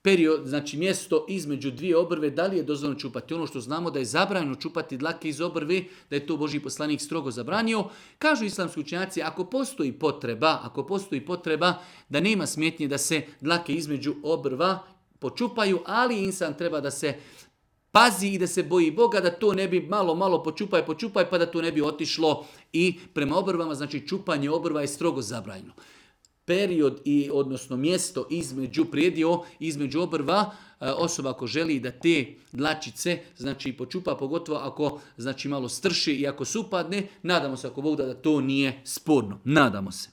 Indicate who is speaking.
Speaker 1: period, znači mjesto između dvije obrve, da li je dozvoljeno čupati? Ono što znamo da je zabranjeno čupati dlake iz obrve, da je to Božji poslanik strogo zabranio. Kažu islamski učenjaci, ako postoji potreba da nema smetnje da se dlake između obrva počupaju, ali insan treba da se pazi i da se boji Boga, da to ne bi malo počupaj, pa da to ne bi otišlo i prema obrvama, znači čupanje obrva je strogo zabranjeno. Period odnosno mjesto između obrva, osoba ako želi da te dlačice znači počupa, pogotovo ako znači malo strši i ako se upadne, nadamo se ako Bog da to nije sporno. Nadamo se.